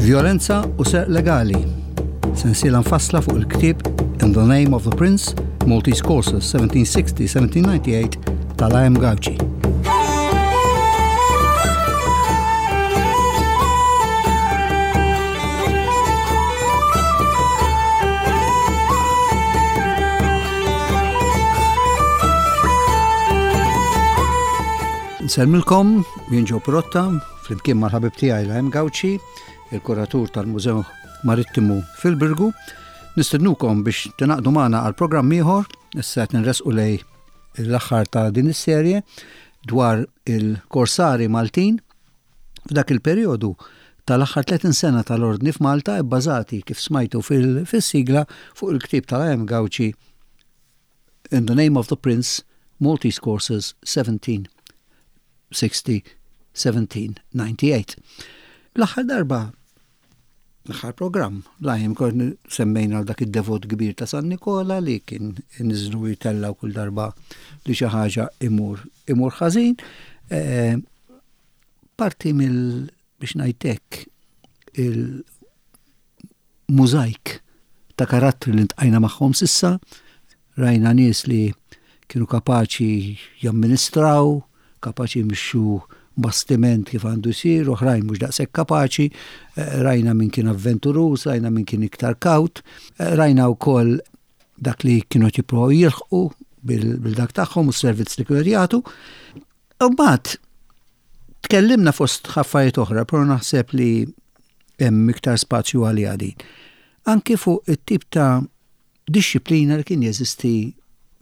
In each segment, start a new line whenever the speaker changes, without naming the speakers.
Vjolenza u serq legali. Sensiela mfassla fuq il-ktieb In the Name of the Prince, Maltese Courses 1760-1798 tal-A.M. Gauci. Nsellmilkom, jien Ġo Protta, flimkien mal-ħabib tiegħi Lahem Gauci, il-kuratur tal-Mużew Marittimu fil-Birgu. Nistednukom biex tingħaqdu magħna għal programm ieħor, issa qed nresqu lej l-aħħar ta' din is-serje dwar il-korsari Maltin f'dak il-perjodu tal-aħħar 30 sena tal-ordni f'Malta bbażati kif smajtu fil-sigla fuq il-ktieb tal-A.M. Gauci In the Name of the Prince, Maltese Courses 1760-1798. L-aħħar darba, l-aħħar programm, lajm kont semmejna għal dak id-devot kbir ta' San Nikola li kien niżlu jitellaw kull darba li xi ħaġa imur imur ħażin. Eh, parti mill biex ngħidlek il mużajk ta' karattri li ntqajna magħhom s'issa, rajna nies li kienu kapaċi jamministraw, kapaċi jmexxu bastiment kif għandu jsir, oħrajn mhux daqshekk kapaċi, eh, rajna min kien avventuruż, rajna min kien iktar kawt, eh, rajna wkoll dak li kienu qed jippruvaw jilħqu bil-dak tagħhom u s-servizz li kienu jagħtu. U mbagħad tkellimna fost ħaffarijiet oħra, però naħseb li hemm iktar spazju għaliha din. Anki fuq it-tip ta' dixxiplina li kien jeżisti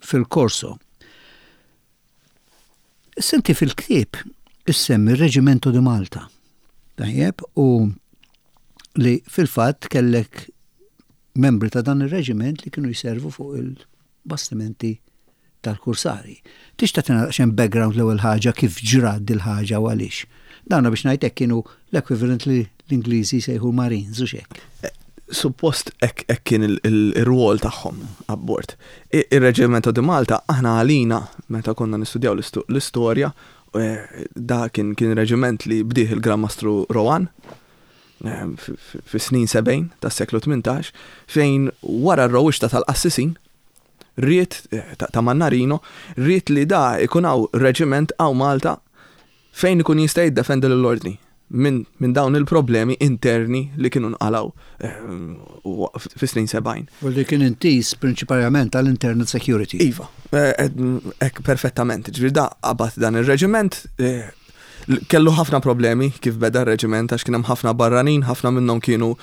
fil-korso. Senti fil-ktieb issemmi r-Reġimento di Malta. Tajjeb, u li fil-fatt kellek membri ta' dan ir-reġiment li kienu jservu fuq il-bastimenti tal-kursari. Tista' tagħtina daqsxejn background l-ewwel ħaġa kif ġrat dil-ħaġa u għaliex? Dawna biex ngħid hekk kienu l-equivalent li l-Ingliżi jsejħu Marines u x'hekk.
Suppost hekk kien ir-rwol tagħhom abbord. Ir-Reġimento di Malta aħna għalina meta konna nistudjaw l-istorja da kien kien reġiment li bdieh il-Gran Mastru Rowan fis-snin 70 tas-seklu 18 fejn wara r-rewwixta tal-qassisin ried, ta' Mannarino, ried li da ikun hawn reġiment hawn Malta fejn ikun jista' jiddefendi lill-Ordni minn min dawn il-problemi interni li kienu nqalgħu fis-snin 70.
U li kien intiż prinċiparjament għal internal security.
Iva, hekk perfettament. Ġifieri da qabad dan ir-reġiment, kellu ħafna problemi kif beda r-reġiment għax kien hemm ħafna barranin, ħafna minnhom kienu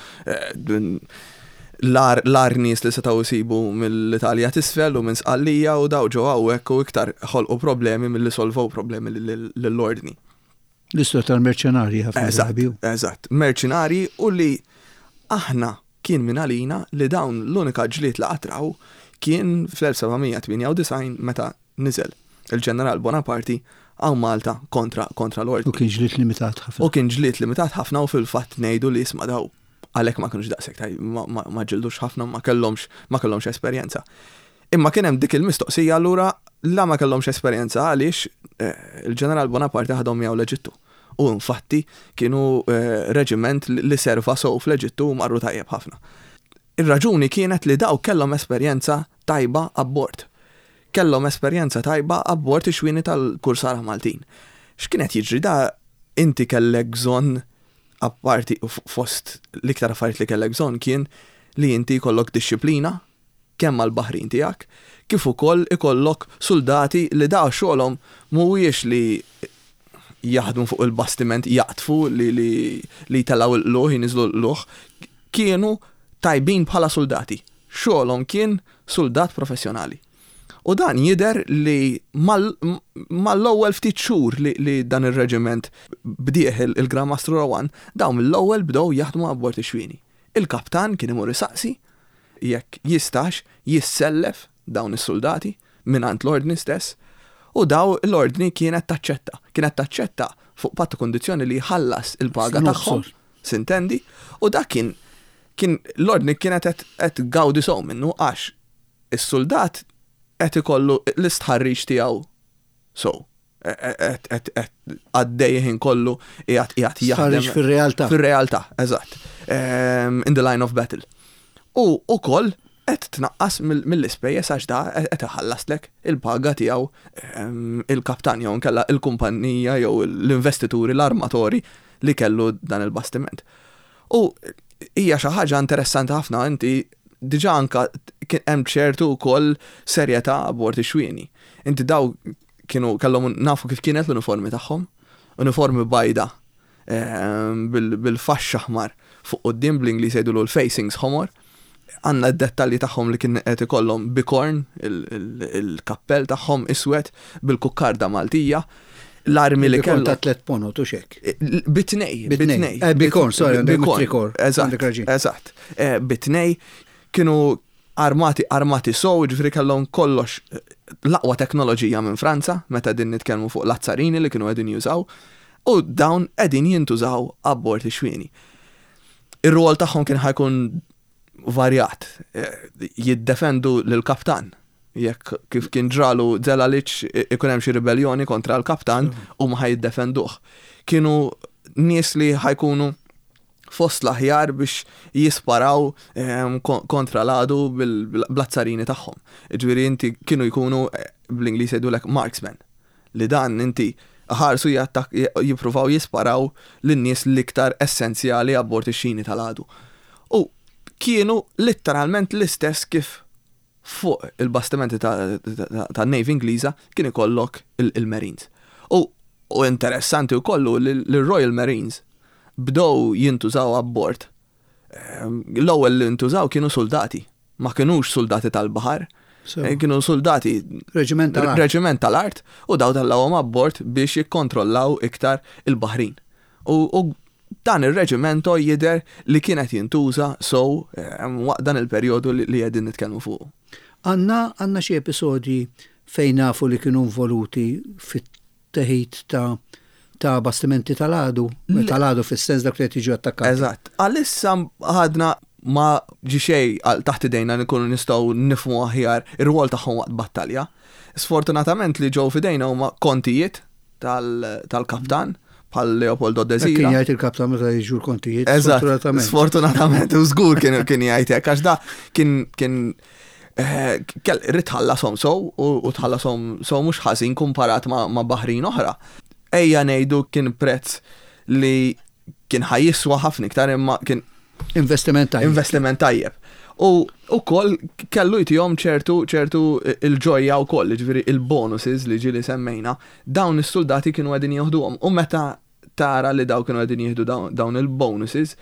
l-agħar nies li setgħu jsibu mill-Italja t'isfel u minn Sqallija u daw ġew hawnhekk u iktar ħolqu problemi milli solvow problemi lill-Ordni.
L-istorja tal-merċenarji ħafna
drabi. Eżatt, merċenarji u li aħna kien minn għalina li dawn l-unika ġlied li qatt raw kien fl-1798 meta niżel il-Ġeneral Bonaparti hawn Malta kontra kontra l-Ordni.
U kien ġlied limitat
ħafna. U kien ġlied limitat ħafna u fil-fatt ngħidu li isma' daw għalhekk ma kinux daqshekk taj ma ġildux ħafna ma kellhomx ma kellhomx esperjenza. Imma kien hemm dik il-mistoqsija allura la ma kellhomx esperjenza għaliex eh, il-Ġeneral Bonaparte ħadhom miegħu l-Eġittu. U infatti kienu eh, reġiment li serva sew fl-Eġittu u marru tajjeb ħafna. Ir-raġuni kienet li daw kellhom esperjenza tajba abbord. Kellhom esperjenza tajba abbord ix-xwieni tal-kursara Maltin. X'kien qed jiġri da inti kellek bżonn apparti fost l-iktar affarijiet li kellek bżonn kien li inti jkollok dixxiplina kemm mal-baħrin tiegħek kif ukoll ikollok suldati li da xogħolhom mhuwiex li jaħdmu fuq il-bastiment jaqdfu li li li jtellgħu l-qlugħ jniżżlu l-qlugħ kienu tajbin bħala suldati. Xogħolhom kien suldat professjonali. U dan jidher li mal-ewwel ftit xhur li dan ir-reġiment bdieh il-Gran Mastru Rowan, dawn mill-ewwel bdew jaħdmu abbord ix-xwieni. Il-kaptan kien imur isaqsi jekk jistax jissellef dawn is-suldati mingħand l-Ordni stess u daw l-Ordni kienet taċċetta. Kienet taċċetta fuq patt u kundizzjoni li jħallas il-paga tagħhom, sintendi, u dak kien kien l-Ordni kienet qed tgawdi sew minnu għax is-suldat qed ikollu l-istħarriġ tiegħu sew. Qed għaddej ħin kollu qiegħed qiegħed
jaħdem. Stħarriġ fir-realtà.
Fir-realtà, eżatt. in the line of battle. U ukoll qed tnaqqas mill-ispejjeż għax da qed iħallaslek il-paga tiegħu il-kaptan jew inkella il-kumpanija jew l-investituri, l-armatori li kellu dan il-bastiment. U hija xi ħaġa interessanti ħafna inti diġà anka kien hemm ċertu wkoll serjetà abbord ix-xwieni. Inti daw kienu kellhom nafu kif kienet l-uniformi tagħhom, uniformi bajda bil-faxx aħmar fuq quddiem bl-Ingliż jgħidulu l-facings ħomor. Għandna d-dettalji tagħhom li kien qed ikollhom bikorn il-kappell tagħhom iswed bil-kukkarda Maltija. L-armi li
kellhom. Ta' tlet ponot u xek.
Bitnej, bitnej.
Eh, bikorn, sorry, bikorn.
Eżatt, eżatt. Eh, bitnej kienu armati armati sow, ġifieri kellhom kollox l-aqwa teknoloġija minn Franza, meta din nitkellmu fuq l-azzarini li kienu qegħdin jużaw, u dawn qegħdin jintużaw abbord ix-xwieni. Ir-rwol tagħhom kien ħa jkun varjat, jiddefendu lill-kaptan, jekk kif kien ġralu Zelalic ikun hemm xi ribelljoni kontra l-kaptan huma ħa jiddefenduh. Kienu nies li ħa jkunu fost l-aħjar biex jisparaw ehm, kontra l-għadu bl-azzarini tagħhom. Ġifieri inti kienu jkunu eh, bl-Ingliż jgħidulek marksmen. Li dan inti ħarsu jippruvaw jisparaw lin-nies l-iktar essenzjali abbord ix-xini tal-għadu. U kienu litteralment l-istess kif fuq il-bastimenti tan-Navy Ingliża kien ikollok il-Marines. U interessanti wkoll hu li l-Royal Marines bdew jintużaw abbord. L-ewwel li ntużaw kienu suldati, ma kinux suldati tal-baħar, kienu suldati
Reġiment tal-art.
Reġiment tal-art u daw tellgħuhom abbord biex jikkontrollaw iktar il-baħrin. U Dan ir-reġimento jidher li kien qed jintuża sew waqt dan il-perjodu li qegħdin nitkellmu fuqu.
Għandna għandna xi episodji fejn nafu li kienu involuti fit-teħid ta' ta' bastimenti tal-għadu, tal-għadu fis-sens dak li qed jiġu attakkati.
Eżatt. Għalissa għadna ma ġie xejn taħt idejna li nkunu nistgħu nifhmu aħjar ir-rwol tagħhom waqt battalja. Sfortunatament li ġew f'idejna huma kontijiet tal-kaptan bħal Leopoldo Desira.
Kien jgħid il-kaptan meta jiġu l-kontijiet.
Sfortunatament. Sfortunatament, u żgur kien kien jgħid hekk għax da kien kien eh, kell rid tħallasom sow u tħallasom sow mhux ħażin kumparat ma' baħrin oħra. Ejja ngħidu kien prezz li kien ħajjiswa ħafna iktar imma kien
investiment tajjeb.
Investiment tajjeb. U ukoll kellu jtihom ċertu ċertu il-ġojja wkoll, jiġifieri il-bonuses li ġieli semmejna, dawn is-suldati kienu qegħdin jieħduhom. U meta tara li dawn kienu qegħdin jieħdu dawn il-bonuses,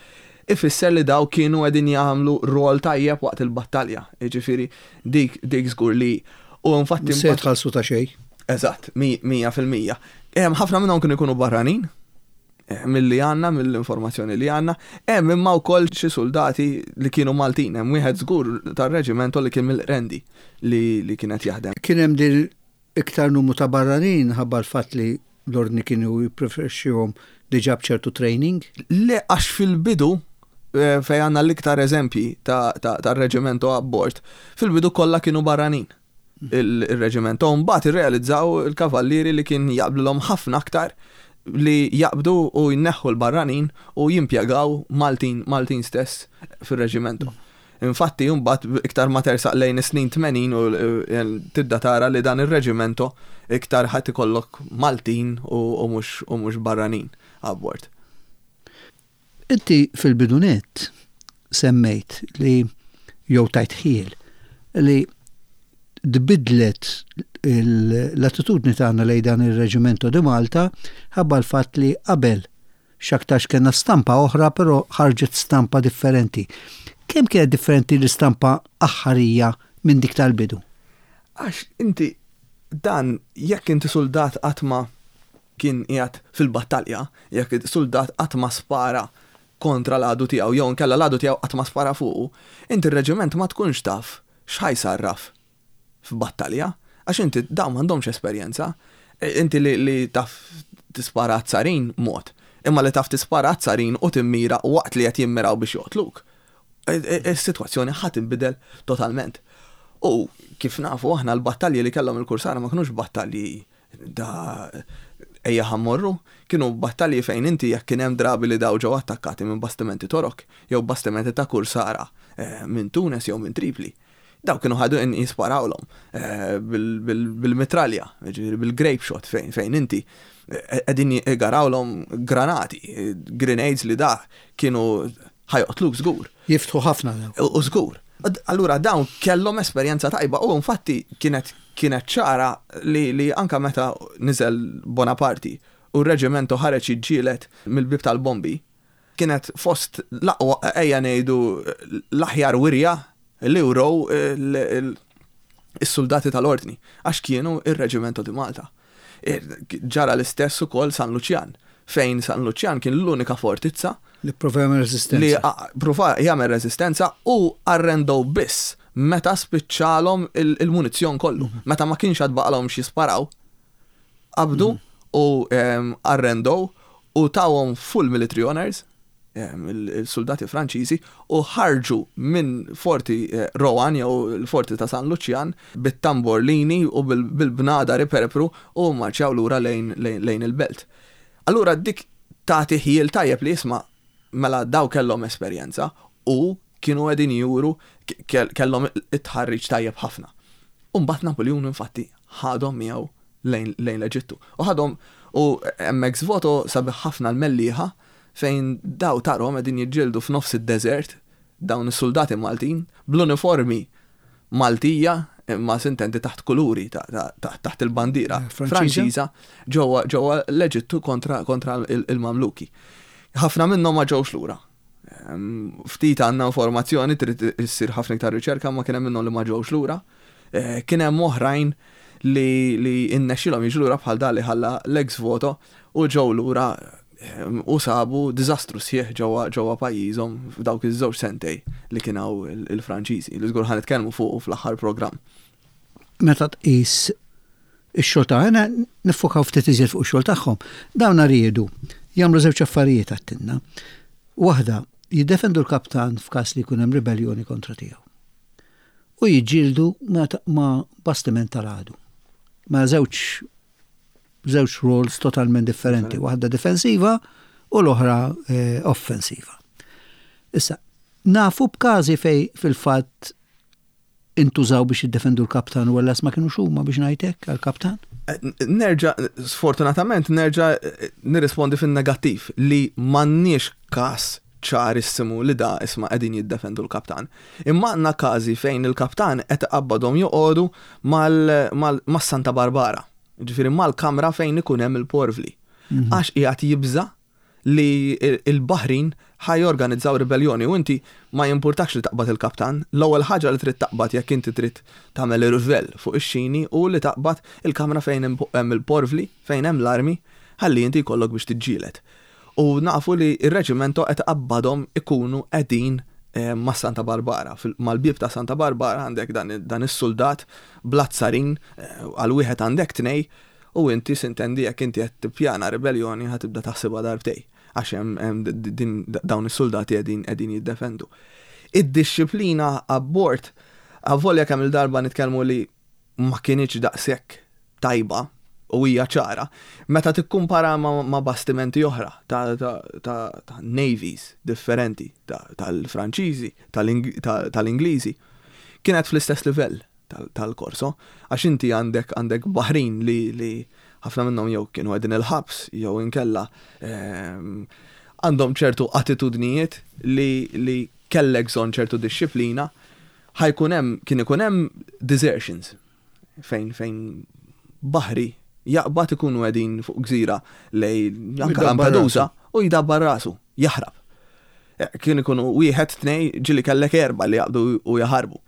ifisser li dawn kienu qegħdin jagħmlu rwol tajjeb waqt il-battalja. Jiġifieri dik dik żgur li u
infatti. Se jitħallsu ta' xejn.
Eżatt, 100%. Ħafna minnhom kienu jkunu barranin, milli għandna, mill-informazzjoni li għandna. Hemm imma wkoll xi suldati li kienu Maltin, hemm wieħed żgur tar-reġimento li kien mill-Qrendi li, li kien qed jaħdem.
Kien hemm din iktar numru ta' barranin ħabba l-fatt li l-Ordni kienu jippreferixxihom diġà b'ċertu training?
Le għax fil-bidu eh, fejn għandna l-iktar eżempji tar-reġimento abbord, fil-bidu kollha kienu barranin. il-reġiment. U mbagħad irrealizzaw il-kavallieri li kien jaqblilhom ħafna aktar li jaqbdu u jneħħu l-barranin u jimpjegaw Maltin, Maltin stess fir-reġimentu. Infatti, mbagħad iktar ma tersaq lejn is-snin 80 u eh, tibda tara li dan ir-reġimento iktar ħadd ikollok Maltin u mhux barranin abbord.
Inti fil-bidu nett semmejt li jew tajt ħiel li tbiddlet l-attitudni tagħna lejn dan ir-Reġimento di Malta ħabba l-fatt li qabel x'aktarx kellna stampa oħra però ħarġet stampa differenti. Kemm kienet differenti l-istampa aħħarija minn dik tal-bidu?
Għax inti dan jekk inti suldat qatt ma kien qiegħed fil-battalja, jekk suldat qatt ma spara kontra l-għadu tiegħu jew inkella l-għadu tiegħu qatt ma spara fuqu, inti r-reġiment ma tkunx taf x'ħa jsarraf f'battalja, għax inti dawn m'għandhomx esperjenza. Inti li, li taf tispara għat-tsarin mod, imma li taf tispara għat-tsarin u timmira waqt li qed jimmiraw biex joqtluk. Is-sitwazzjoni ħa tinbidel totalment. U kif nafu aħna l-battalji li kellhom il-kursara ma kinux battalji Da ejja ħa mmorru, kienu battalji fejn inti jekk kien hemm drabi li daw ġew attakkati minn bastimenti Torok jew bastimenti ta' kursara minn Tunes jew minn Tripli. Daw kienu ħadu jisparawlhom bil-mitralja, jiġifieri bil-grape shot fejn inti qegħdin igarawlhom granati, grenades li da kienu ħa joqtluk żgur.
Jiftħu ħafna
dawn. U żgur. Allura dawn kellhom esperjenza tajba u infatti kienet kienet ċara li li anke meta niżel Bonaparti u r-reġimentu ħareġ jiġġieled mill-bieb tal-bombi, kienet fost l-aqwa ejja ngħidu l-aħjar wirja li wrew is-suldati tal-Ordni għax kienu r-Reġimento di Malta. Ġara l-istess ukoll San Luċjan, fejn San Luċjan kien l-unika fortizza
li pprova jagħmel reżistenza.
Li pprova jagħmel reżistenza u arrendew biss meta spiċċalhom il-munizzjon kollu. Mhm. Meta ma kienx għad baqalhom x'jisparaw, qabdu mhm. u arrendew u tawhom full military honors il-suldati Franċiżi u ħarġu minn Forti Rohan jew il-Forti ta' San Luċjan bit-tamborlini u bil-bnadar iperpru u mmarċjaw lura lejn il-belt. Allura dik tagħti ħjiel tajjeb li isma' mela daw kellhom esperjenza u kienu qegħdin juru kellhom it-tħarriġ tajjeb ħafna. U mbagħad Napuljun infatti ħadhom miegħu lejn l-Eġittu. U ħadhom u hemm ex voto sabiħ ħafna l-Mellieħa fejn daw tarhom qegħdin jiġġieldu f'nofs id-deżert dawn is-suldati Maltin bl-uniformi Maltija imma sintendi taħt kuluri taħt il-bandiera Franċiża ġewwa ġewwa l-Eġittu kontra kontra il-Mamluki. Ħafna minnhom ma ġewx lura. Ftit għandna informazzjoni trid issir ħafna iktar riċerka ma kien hemm minnhom li ma ġewx lura. Kien hemm oħrajn li li innexxilhom jiġu lura bħal dan li ħalla l-ex voto u ġew lura u sabu diżastru sħiħ ġewwa ġewwa pajjiżhom f'dawk iż-żewġ sentej li kien hawn il-Franċiżi, li żgur ħa nitkellmu fuqu fl-aħħar programm.
Meta tqis ix-xogħol ta' ħana niffokaw ftit iżjed fuq ix-xogħol tagħhom. Dawn riedu jagħmlu żewġ affarijiet għattinna. Waħda, jiddefendu l-kaptan f'każ li jkun hemm ribelljoni kontra tiegħu. U jiġġieldu ma' bastiment tal-għadu. Ma' żewġ żewġ roles totalment differenti, waħda difensiva u l-oħra eh, offensiva. Issa, nafu b'każi fej fil-fatt intużaw biex jiddefendu l-kaptan u għallas ma kienux huma biex ngħidlek għall-kaptan?
Eh, nerġa', sfortunatament, nerġa' eh, nirrispondi fin-negattiv li m'għandniex każ ċarissimu li da isma' qegħdin jiddefendu l-kaptan. Imma għandna każi fejn il-kaptan qed iqabbadhom joqogħdu mas-Santa Barbara, ġifieri mal-kamra fejn ikun hemm il-porvli. Mhm. Għax qiegħed jibża' li l-baħrin ħa jorganizzaw ribelljoni u inti ma jimpurtakx li taqbad il-kaptan, l-ewwel ħaġa li trid taqbad jekk inti trid tagħmel irvell fuq ix-xini hu li taqbad il-kamra fejn hemm il-porvli, fejn hemm l-armi, ħalli inti jkollok biex tiġġieled. U nafu li r-reġimento qed iqabbadhom ikunu qegħdin ma' Santa Barbara. Mal-bieb ta' Santa Barbara għandek dan is-suldat bl-azzarin għal wieħed għandek tnej U inti sintendi jekk inti qed tippjana ribelljoni ħa tibda taħsibha darbtej għax hemm din dawn is-suldati qegħdin qegħdin jiddefendu. Id-dixxiplina abbord avolja kemm il-darba nitkellmu li ma kinitx daqshekk tajba u hija ċara, meta tikkumpara ma' bastimenti oħra ta' ta' ta' navies differenti tal-Franċiżi, tal-Ingliżi, kienet fl-istess livell. tal-Corso, għax inti għandek għandek baħrin li li ħafna minnhom jew kienu qegħdin il-ħabs jew inkella ehm, għandhom ċertu attitudnijiet li li kellek bżonn ċertu dixxiplina, ħajkun hemm kien ikun hemm desertions fejn fejn baħri jaqbad ikunu qegħdin fuq gżira lej anke Lampedusa u jdabbar rasu, jaħrab. Eh, kien ikunu wieħed, tnej, ġili kellek erba li jaqbdu u jaħarbu.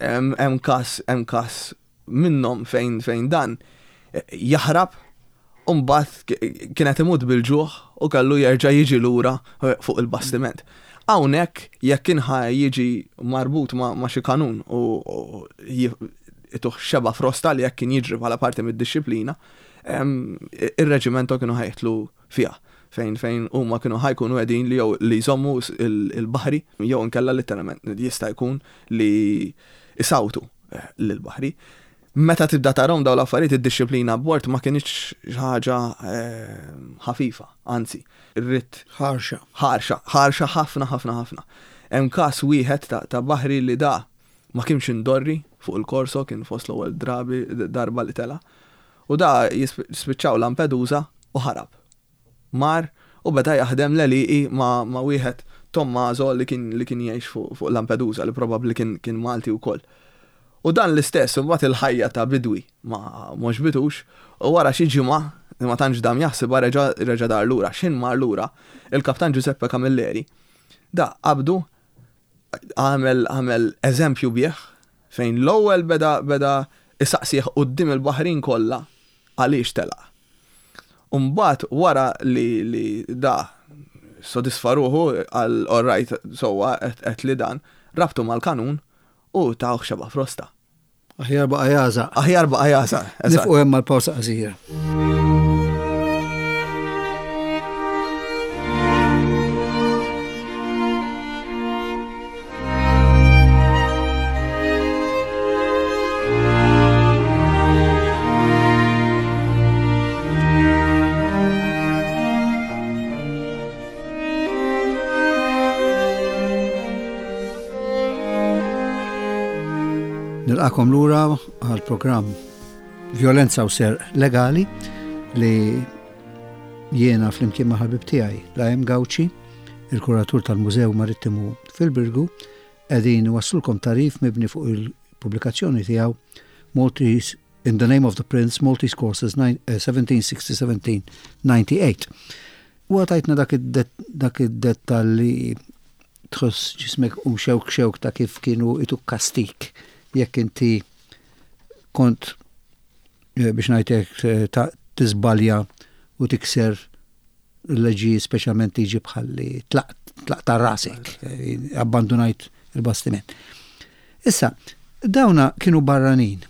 Hemm każ, hemm każ minnhom fejn fejn dan eh, jaħrab u mbagħad kien qed imut bil-ġuħ u kellu jerġa' jiġi lura eh, fuq il-bastiment. Hawnhekk jekk kien ħa jiġi marbut ma' xi kanun u ituh xeba frosta li jekk kien jiġri bħala parti mid-dixxiplina, ir-reġimento kienu ħajtlu fiha fejn fejn huma kienu ħa jkunu qegħdin li jew li jżommu l-baħri jew inkella litteralment jista' jkun li jsawtu eh, lill-baħri. Meta tibda tarahom dawn l-affarijiet id-dixxiplina abbord ma kinitx xi ħaġa ħafifa, anzi, ridt.
Ħarxa.
Ħarxa, ħarxa ħafna ħafna ħafna. Hemm każ wieħed ta' baħri li da ma kienx indorri fuq il-Corso, kien fost l-ewwel drabi darba li tela', u da spiċċaw Lampedusa u ħarab. Mar u beda jaħdem l-għelieqi ma' ma' wieħed Tommaso li kien li kien jgħix fuq fuq Lampedusa li probabbli kien kien Malti wkoll. U dan l-istess imbagħad il-ħajja ta' bidwi ma m'għoġbitux u wara xi ġimgħa li ma tantx dam jaħsibha reġa' reġa' dar lura. X'ħin mar lura, il-Kaptan Giuseppe Camilleri da qabdu għamel għamel eżempju bih fejn l-ewwel beda beda isaqsih quddiem il-baħrin kollha għaliex telaq. U mbagħad wara li li da ssodisfa ruħu qal all right sewwa għedt li dan, rabtu mal-kanun u tawh xebgħa frosta.
Aħjar baqa' jagħżaq.
Aħjar baqa' jagħżaq.
Nifqu hemm għal pawsa qasira. Nilqakom lura għal programm Violenza u Ser Legali li jiena flimkien ma' ħabib tiegħi Lajem Gawċi, il-kuratur tal-Mużew Marittimu fil-Birgu, qegħdin wassulkom tarif mibni fuq il-pubblikazzjoni tiegħu Maltese In the Name of the Prince, Maltese Courses 1760-1798. U għatajtna dak id-dettal li tħoss ġismek um xewk xewk ta' kif kienu ituk kastik jekk inti kont eh, biex ngħidlek eh, ta' tiżbalja u tikser l-leġi speċjalment liġi bħalli tlaq ta' rasek, eh, abbandunajt il-bastiment. Issa, dawna kienu barranin.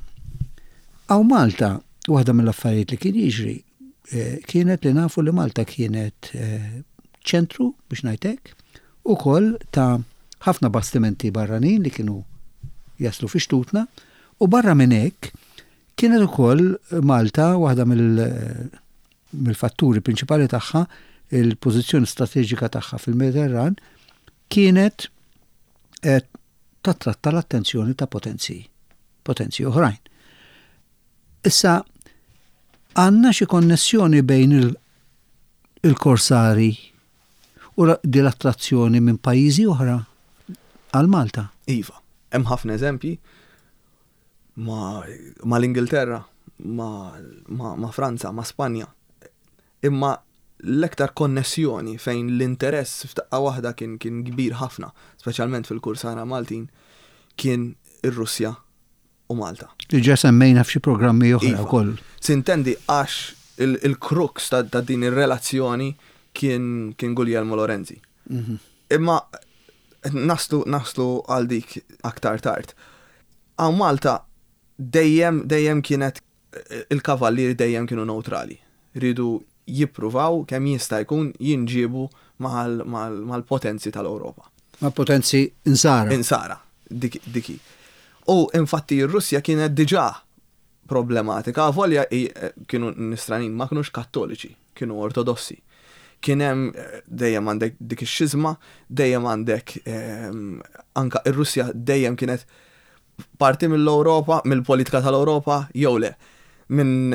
Għaw Malta, waħda mill-affarijiet li kien jiġri, eh, kienet li nafu li Malta kienet eh, ċentru biex ngħidlek, ukoll ta' ħafna bastimenti barranin li kienu jaslu fi xtutna u barra minn hekk kienet ukoll Malta waħda mill mill-fatturi prinċipali tagħha, il-pożizzjoni strateġika tagħha fil-Mediterran kienet qed tattratta l-attenzjoni ta' potenzi, potenzi oħrajn. Issa, għandna xi konnessjoni bejn il-korsari u di l-attrazzjoni minn pajjiżi oħra għal Malta?
Iva, hemm ħafna eżempji ma' l-Ingilterra, ma' Franza, ma' Spanja. Imma l-aktar konnessjoni fejn l-interess f'daqqa waħda kien kien kbir ħafna, speċjalment fil-kursara Maltin, kien ir-Russja u Malta.
Li ġa semmejna f'xi programmi oħra iva. wkoll.
Sintendi għax il-crux ta' din ir-relazzjoni kien kien Guglielmo Lorenzi. Mhm. Imma naslu naslu għal dik aktar tard. Hawn Malta dejjem dejjem kienet il-kavallieri dejjem kienu newtrali. Riedu jippruvaw kemm jista' jkun jinġiebu mal-potenzi tal-Ewropa.
Mal-potenzi insara.
Insara, dik hi. U infatti r-Russja kienet diġà problematika, avolja kienu nisranin ma kinux kattoliċi, kienu ortodossi. Kien hemm dejjem għandek dik ix-xiżma, dejjem għandek anka ir-Russja dejjem kienet parti mill-Ewropa, mill-politika tal-Ewropa jew le. Minn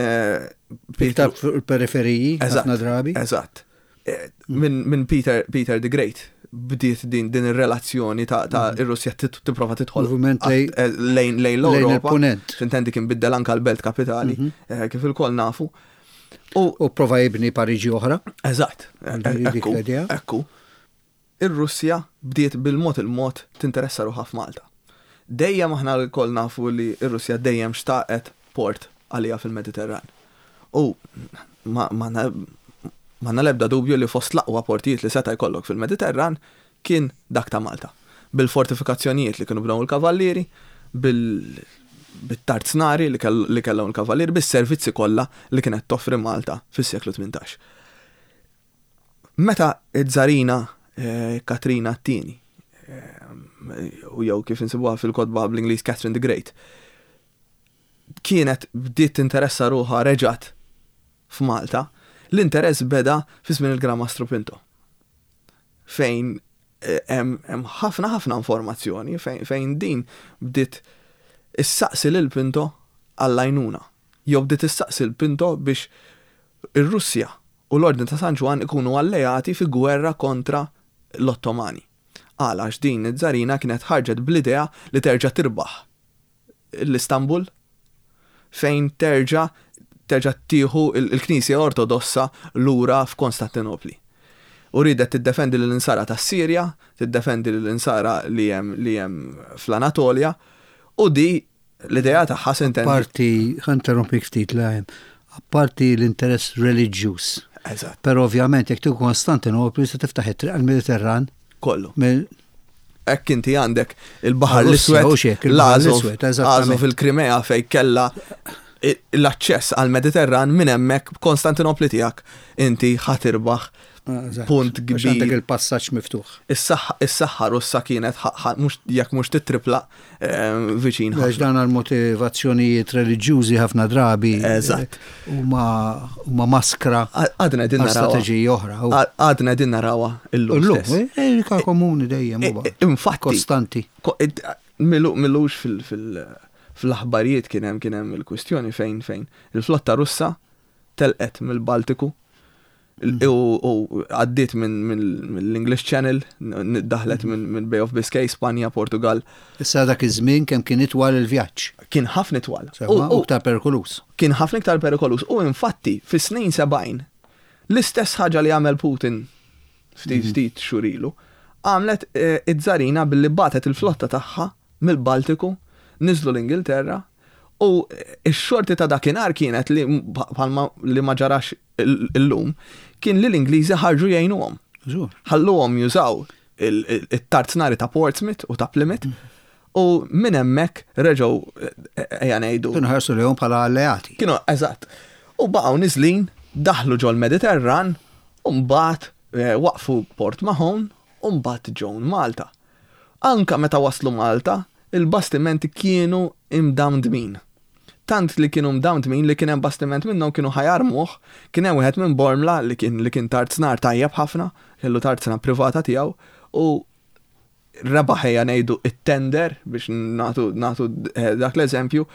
Iktar fuq il-periferiji, ħafna drabi.
Eżatt. Eh, minn Peter, Peter the Great bdiet din din ir-relazzjoni ta' ta' mm. ir-Russja tipprova tidħol eh, lejn lejn l-Ewropa. Intendi kien biddel anka l-belt kapitali, mhm. eh, kif ilkoll nafu.
U prova jibni Pariġi oħra.
Eżatt. Ekku. Ekku. Ir-Russja bdiet bil-mod il-mod tinteressa ruħha f'Malta. Dejjem aħna lkoll nafu li r-Russja dejjem xtaqet port għaliha fil-Mediterran. U ma m'għandna l-ebda dubju li fost l-aqwa portijiet li seta' jkollok fil-Mediterran kien dak ta' Malta. Bil-fortifikazzjonijiet li kienu bnew il-Kavallieri, bil-tarznari li kellhom il-Kavallieri, bis-servizzi kollha li kienet toffri Malta fis-seklu 18. Meta ż-Żarina Katrina t-Tieni, u jew kif insibuha fil-kotba bl-Ingliż Catherine the Great, kienet bdiet tinteressa ruħha reġgħet f'Malta, l-interess beda fi żmien il-Gran Mastru Pinto. Fejn hemm ħafna ħafna informazzjoni fejn din bdiet issaqsi lil Pinto għall-għajnuna. Jew bdiet issaqsi lil Pinto biex ir-Russja u l-Ordni ta' San Ġwann ikunu alleati fi gwerra kontra l-Ottomani. Għala? Għax din iż-Żarina kienet ħarġet bl-idea li terġa' tirbaħ l-Istanbul fejn terġa' terġa' tieħu l-Knisja Ortodossa lura f'Konstantinopli. U riedet tiddefendi lill-Insara tas-Sirja, tiddefendi lill-Insara li hemm li hemm fl-Anatolja, u di l-idea tagħha s'intendi.
Apparti, ħa nterrompik ftit Liam, apparti l-interess reliġjuż.
Eżatt.
Però ovvjament jekk tieħu Konstantinopli se tiftaħ it-triq għall-Mediterran.
Kollu. Hekk inti għandek il-Baħar l-Iswed, l-Azov, Azov il-Krimea fejn kellha l-aċċess għall-Mediterran minn hemmhekk b'Konstantinopli tiegħek inti ħa tirbaħ punt kbir.
Għandek il-passaġġ miftuħ.
Is-saħħa Russa kienet jekk mhux tittripla viċin.
Għax dan għal motivazzjonijiet reliġjużi ħafna drabi.
Eżatt.
Huma maskra.
Għadna din
naraw. Strateġiji oħra.
Għadna din narawha illum.
Illum, eh, komuni dejjem huwa.
Infatti.
Kostanti.
Milux fil-aħbarijiet kien hemm kien hemm il-kwistjoni fejn fejn il-flotta Russa telqet mill-Baltiku u għaddiet mill-English Channel, daħlet minn Bay of Biscay, Spanja, Portugal.
Issa dak iż-żmien kemm kien itwal il-vjaġġ.
Kien ħafna itwal.
U iktar perikoluż.
Kien ħafna iktar perikoluż. U infatti, fis-snin 70, l-istess ħaġa li għamel Putin ftit mhm. ftit xhur ilu, għamlet eh, iż-żarina billi batet il-flotta tagħha mill-Baltiku, niżlu l-Ingilterra, u x-xorti ta' dakinhar kienet li bħalma li ma ġarax illum, kien li l-Ingliżi ħarġu jgħinuhom. Ħalluhom jużaw it-tarznari ta' Portsmouth u ta' Plymouth u minn hemmhekk reġgħu ejja ngħidu.
Kienu ħarsu lejhom bħala alleati.
Kienu eżatt. U baqgħu niżlin, daħlu ġol-Mediterran u mbagħad eh, waqfu Port Mahon u mbagħad ġew Malta. Anka meta waslu Malta, il-bastimenti kienu imdamdmin. Tant li kienu mdamdmin li kien hemm bastiment minnhom kienu ħa jarmuh, kien hemm wieħed minn Bormla li kien li kien tarznar tajjeb ħafna, kellu tarzna privata tiegħu u rebaħ ejja ngħidu it-tender biex nagħtu nagħtu eh, dak l-eżempju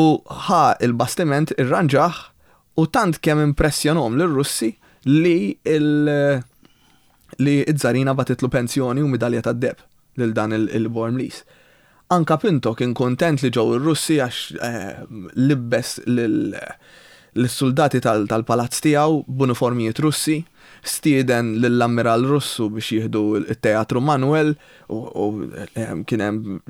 u ħa il-bastiment irranġah u tant kemm impressjonhom lir-Russi li il li ż-Żarina bagħtitlu pensjoni u midalja tad-deheb lil dan il-Bormliż. Anka Pinto kien kuntent li ġew ir-Russi għax libbes lis-suldati tal-palazz tiegħu b'uniformijiet Russi, stieden lill-Ammiral Russu biex jieħdu t-Teatru Manuel u kien hemm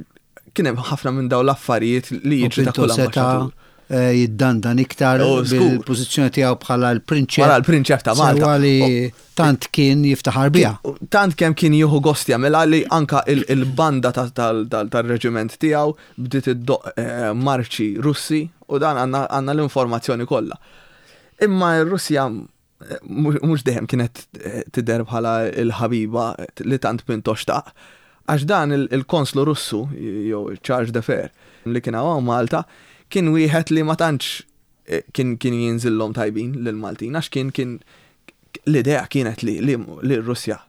kien hemm ħafna minn dawn l-affarijiet li jiġri ta' kull
ambaxxatur. Eh, jiddandan iktar oh, bil-pożizzjoni tiegħu bħala l-prinċep.
Bħala l-prinċep ta' Malta.
Sewwa li tant kien jiftaħar biha.
Tant kemm kien jieħu gost jagħmilha li anka il-banda tal-reġiment tiegħu bdiet iddoq eh, marċi Russi u dan għandna l-informazzjoni kollha. Imma r-Russja mhux dejjem kienet eh, tidher bħala l-ħabiba li tant Pinto xtaq. Għax dan il-konslu Russu, jew Charge d'Affaires, li kien hawn Malta, kien wieħed li ma tantx eh, kien kien jinżillhom tajbin lill-Maltin, għax kien kien l-idea kienet li li r-Russja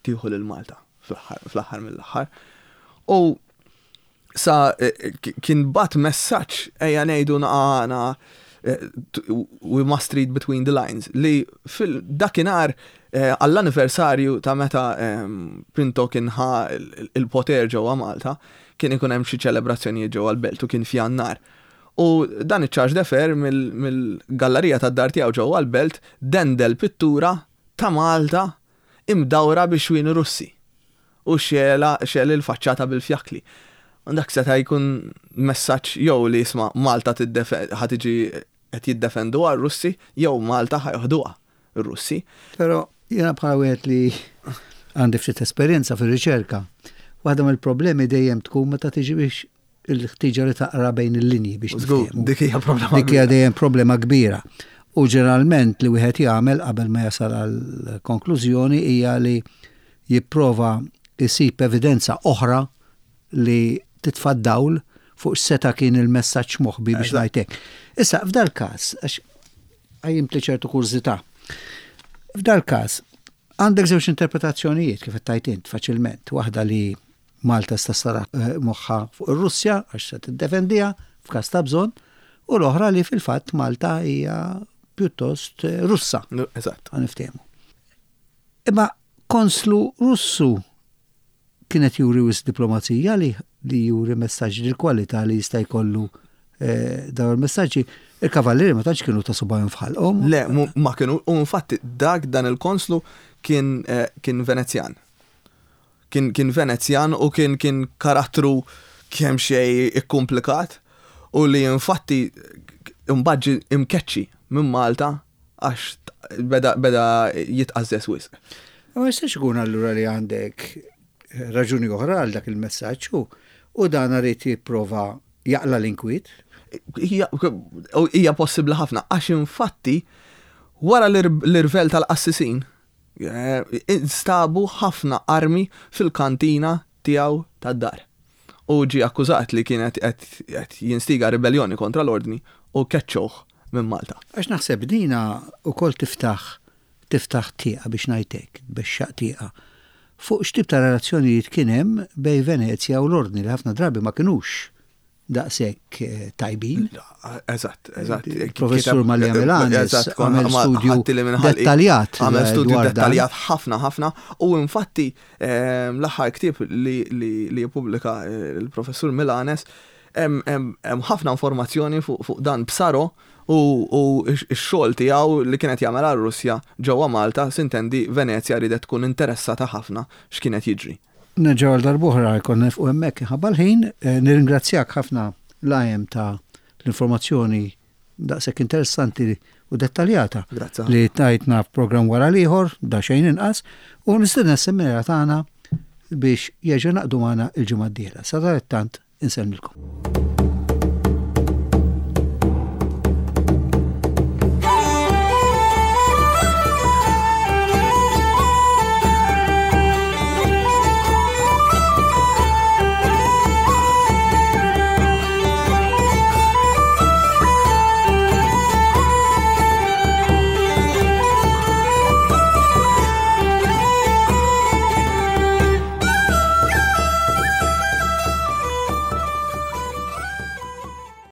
tieħu lil Malta fl-aħħar mill-aħħar. U sa eh, kien bat messaġġ ejja ngħidu naqana eh, we must read between the lines li fil dakinhar eh, għall-anniversarju ta' meta ehm, Pinto kien ħa il-poter ġewwa Malta kien ikun hemm xi ċelebrazzjonijiet ġewwa l-belt u kien f'Jannar. U dan iċ-charge d'affaires mill-gallerija tad-dar tiegħu ġewwa l-belt dendel pittura ta' Malta imdawra bi xwieni Russi u xegħla xegħel il-faċċata bil-fjakkli. U dak seta' jkun messaġġ jew li isma' Malta ħa tiġi qed jiddefenduha r-Russi jew Malta ħa joħduha r-Russi.
Però jiena bħala wieħed li għandi ftit esperjenza fir-riċerka, waħda mill-problemi dejjem tkun meta tiġi biex il-ħtieġa li taqra bejn il-linji biex
Żgur, dik hija problema.
Dik hija dejjem problema kbira. U ġeneralment li wieħed jagħmel qabel ma jasal għal konklużjoni hija li jipprova jsib evidenza oħra li titfa' dawl fuq x'seta' kien il-messaġġ moħbi biex ngħid hekk. Issa, f'dal-każ, għax qajjimtli ċertu kurżità, f'dal-każ għandek żewġ interpretazzjonijiet kif qed tgħid int faċilment, waħda li Malta sta sara eh, moħħa fuq ir-Russja għax se tiddefendiha f'każ ta' bżonn, u l-oħra li fil-fatt Malta hija pjuttost eh, Russa.
Eżatt.
Niftehmu. Imma konslu Russu kien qed juri wisq diplomazija li li juri messaġġ dil-kwalità li jista' jkollu eh, dawn il-messaġġi. Il-kavallieri ma tantx kienu ta' subgħajhom f'ħalqhom.
Le, ma kienu, u infatti dak dan il-konslu kien eh, kien Venezjan. Kien kien Venezjan u kien kien karattru kemm xejn ikkumplikat u li infatti imbagħad ġie imkeċċi minn Malta għax beda beda jitqażżeż wisq.
Ma jistax ikun allura li għandek eh, raġuni oħra għal dak il-messaġġ u u dan irid jipprova jaqla l-inkwiet.
Hija possibbli ħafna għax infatti wara l-irvell tal-qassisin eh, instabu ħafna armi fil-kantina tiegħu tad-dar. U ġie akkużat li kien qed jinstiga ribelljoni kontra l-Ordni u keċċewh minn Malta.
Għax naħseb dina wkoll tiftaħ tiftaħ tieqa biex ngħid hekk, tbexxaq tieqa, fuq x'tip ta' relazzjonijiet kien hemm bejn Venezja u l-Ordni li ħafna drabi ma kinux daqshekk eh, tajbin.
Eżatt, eżatt.
Professur Malja Milanes għamel studju dettaljat.
Għamel studju dettaljat ħafna ħafna u infatti ehm, l-aħħar ktieb li jippubblika eh, il-professur Milanes hemm ħafna informazzjoni fuq dan Psaro u x-xogħol tiegħu li kienet jagħmel għar-Russja ġewwa Malta, sintendi Venezja ridet tkun interessata ħafna x'kienet jiġri.
Nerġgħu għal darb'oħra jkollna nifqu hemmhekk inħabba l-ħin. Eh, nirringrazzjak ħafna l-għajem ta' l-informazzjoni daqshekk interessanti u dettaljata li tajtna f'programm wara l-ieħor, da xejn inqas, u nistenna s-semmiera tagħna biex jerġa' naqdu magħna il-ġimgħa d-dieħla. Sadanittant insellmilkom.